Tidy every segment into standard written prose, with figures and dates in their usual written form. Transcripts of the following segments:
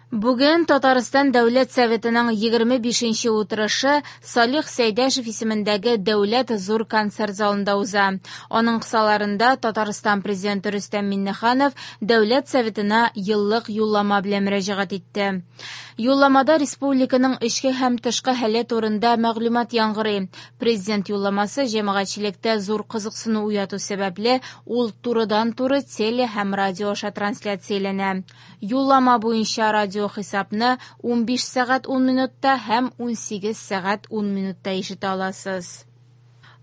Бүген Татарстан Дәүләт Советының 25нче утырышы Салих Сәйдәшев исемендәге Дәүләт зур концерт залында уза. Аның кысаларында Татарстан Президенты Рөстәм Миңнеханов Дәүләт Советына еллык юллама белән мөрәҗәгать итте. Юлламада республиканың эчке һәм тышкы хәле турында мәгълүмат яңгырый. Президент юлламасы җәмәгатьчелектә зур кызыксыну уяту сәбәпле, ул турыдан-туры теле һәм радио аша трансляцияләнә. Юллама буенча радиохисапны 15 сәгать 10 минутта һәм 18 сәгать 10 минутта ишетә аласыз.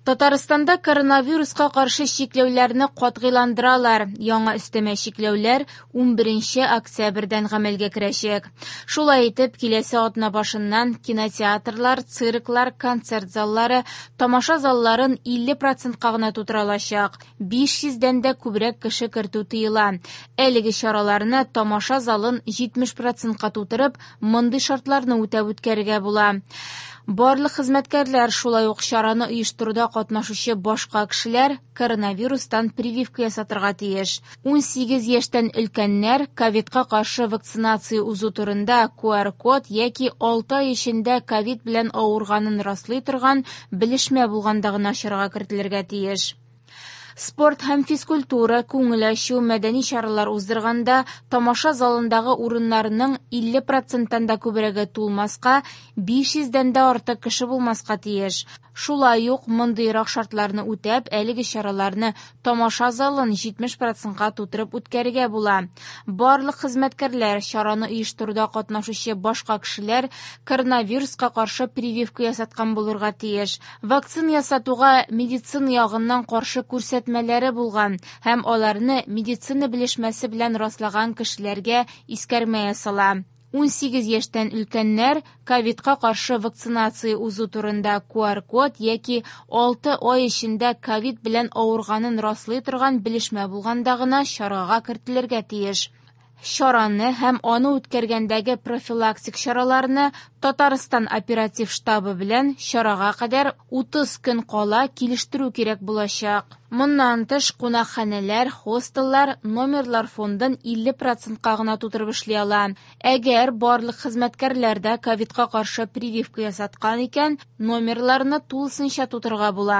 Татарстанда коронавируска каршы чикләүләрне катгыйландыралар. Яңа өстәмә чикләүләр 11 октябрьдән гамәлгә керәчәк. Шулай итеп, киләсе атна башыннан кинотеатрлар, цирклар, концерт заллары, тамаша залларын 50%-ка гына тутыра алачак. 500дән дә күбрәк кеше кертү тыела. Әлеге чараларны тамаша залын 70%-ка тутырып, мондый шартларны үтәп үткәрергә була. Барлык хезмәткәрләр, шулай ук чараны оештыруда катнашучы башка кешеләр коронавирустан прививка ясатырга тиеш. 18 яшьтән өлкәннәр ковидка каршы вакцинация узу турында QR-код яки 6 ай эчендә ковид белән авырганын раслый торган белешмә булганда гына чарага кертелергә тиеш. Спорт һәм физкультура, күңел ачу, мәдәни чаралар уздырганда тамаша залындагы урыннарның 50%-тан да күбрәге тулмаска, 500дән дә артык кеше булмаска тиеш. Шулай ук мондыйрак шартларны үтәп, әлеге чараларны тамаша залын 70%-ка тутырып үткәрергә була. Барлык хезмәткәрләр, чараны оештыруда катнашучы башка кешеләр коронавируска каршы прививка ясаткан булырга тиеш. Вакцина ясатуга медицина ягыннан каршы күрсәтмәләре булган һәм аларны медицина белешмәсе белән раслаган кешеләргә искәрмә ясала. 18 яшьтән өлкәннәр ковидка каршы вакцинация узу турында QR-код яки 6 ай эчендә ковид белән авырганын раслый торган белешмә булганда гына чарага кертелергә тиеш. Чараны һәм аны үткәргәндәге профилактик чараларны Татарстан оператив штабы белән чарага кадәр 30 көн кала килештерү кирәк булачак. Моннан тыш, кунакханәләр, хостеллар номерлар фондын 50%-ка гына тутырып эшли ала. Әгәр барлык хезмәткәрләр дә ковидка каршы прививка ясаткан икән, номерларны тулысынча тутырырга була.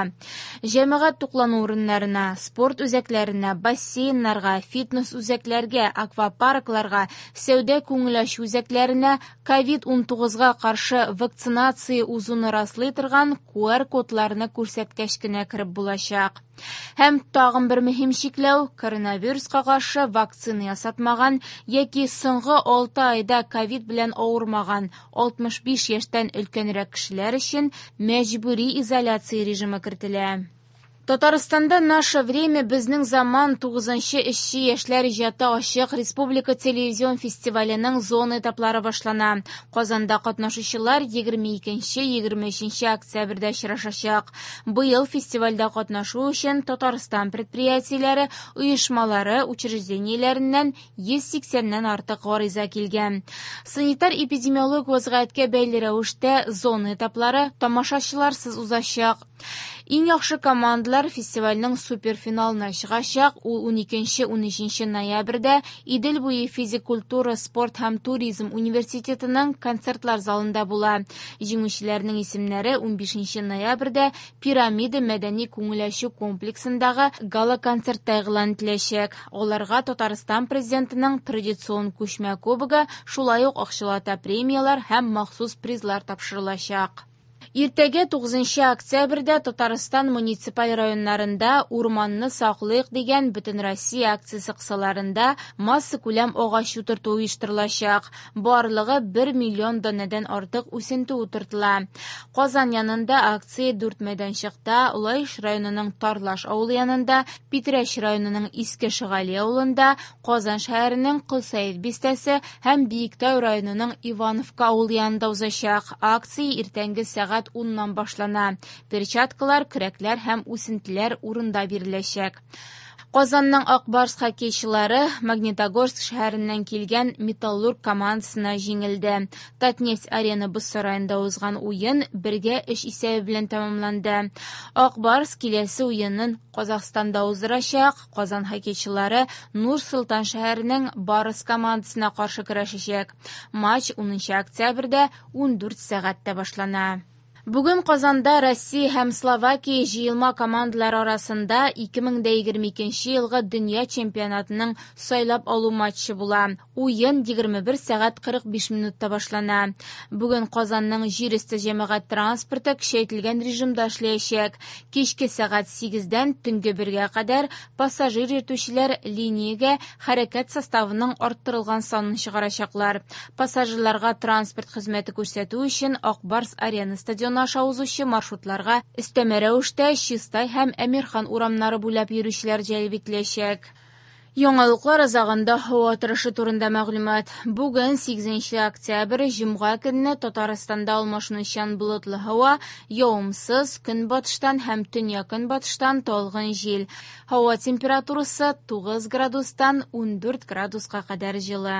Җәмәгать туклану урыннарына, спорт үзәкләренә, бассейннарга, фитнес үзәкләргә, аквапаркларга, сәүдә күңел ачу үзәкләренә ковид-19-га каршы вакцинация узуны раслый торган QR-кодларны күрсәткәч кенә кереп булачак. Һәм тагын бер мөһим чикләү – коронавируска каршы вакцина ясатмаган яки соңгы 6 айда ковид белән авырмаган 65 яшьтән өлкәнрәк кешеләр өчен мәҗбүри изоляция режимы кертелә. Татарстанда «Наше время» безнең заман 9нчы эшче яшьләр иҗаты ачык республика телевизион фестиваленең зона этаплары башлана. Казанда катнашучылар 22-23 октябрьдә очрашачак. Быел фестивальдә катнашу өчен Татарстан предприятиеләре, оешмалары, учреждениеләреннән 180-нән артык гариза килгән. Санитар-эпидемиологик вазгыятькә бәйле рәвештә зона этаплары тамашачыларсыз узачак. Иң яхшы командалар фестивальнең суперфиналына чыгачак. Ул 12-13 ноябрьдә Идел буе физик культура, спорт һәм туризм университетының концертлар залында була. Җиңүчеләрнең исемнәре 15 ноябрьдә Пирамида мәдәни күңел ачу комплексындагы гала-концертта игълан ителәчәк. Аларга Татарстан президентының традицион күчмә кубогы, шулай ук акчалата премияләр һәм махсус призлар тапшырылачак. Иртәгә 9 октябрьдә Татарстан муниципаль районнарында «Урманны саклыйк» дигән Бөтенроссия акциясе кысаларында массакүләм агач утырту оештырылачак. Барлыгы 1 миллион данәдән артык үсенте утыртыла. Казан янында акция 4 мәйданчыкта, Лаеш районының Тарлаш авылы янында, Питрәч районының Иске Шигали авылында, Казан шәһәренең Колсәет бистәсе һәм Биектау районының Ивановка авылы янында узачак. Акция иртәнге сәгать 10-нан башлана. Перчаткалар, көрәкләр һәм үсентеләр урында биреләчәк. Казанның Ак Барс хоккейчылары Магнитогорск шәһәреннән килгән Металлург командасына җиңелде. Татнефть-Арена боз сараенда узган уен 1-3 исәбе белән тәмамланды. Ак Барс киләсе уенын Казахстанда уздырачак. Казан хоккейчылары Нур-Солтан шәһәренең Барыс командасына каршы көрәшәчәк. Матч 10 октябрьдә 14 сәгатьтә башлана. Бүген Казанда Россия һәм Словакия җыелма командалары арасында 2022 елгы дөнья чемпионатының сайлап алу матчы була. Уен 21 сәгать 45 минутта башлана. Бүген Казанның җир өсте җәмәгать транспорты көчәйтелгән режимда эшләячәк. Кичке сәгать 8-дән төнге 1-гә кадәр пассажир йөртүчеләр линиягә хәрәкәт составының арттырылган санын чыгарачаклар. Пассажирларга транспорт хезмәте күрсәтү өчен Ак Барс Арена стадионы аша узучы маршрутларга өстәмә рәвештә Чистай һәм Әмирхан урамнары буйлап йөрүчеләр җәлеп ителәчәк. Яңалыклар азагында һава торышы турында мәгълүмат. Бүген 8 октябрь, җомга көнне Татарстанда алмашынучан болытлы һава, явымсыз, көнбатыштан һәм төньяк-көнбатыштан талгын җил. Һава температурасы 9 градустан 14 градуска кадәр җылы.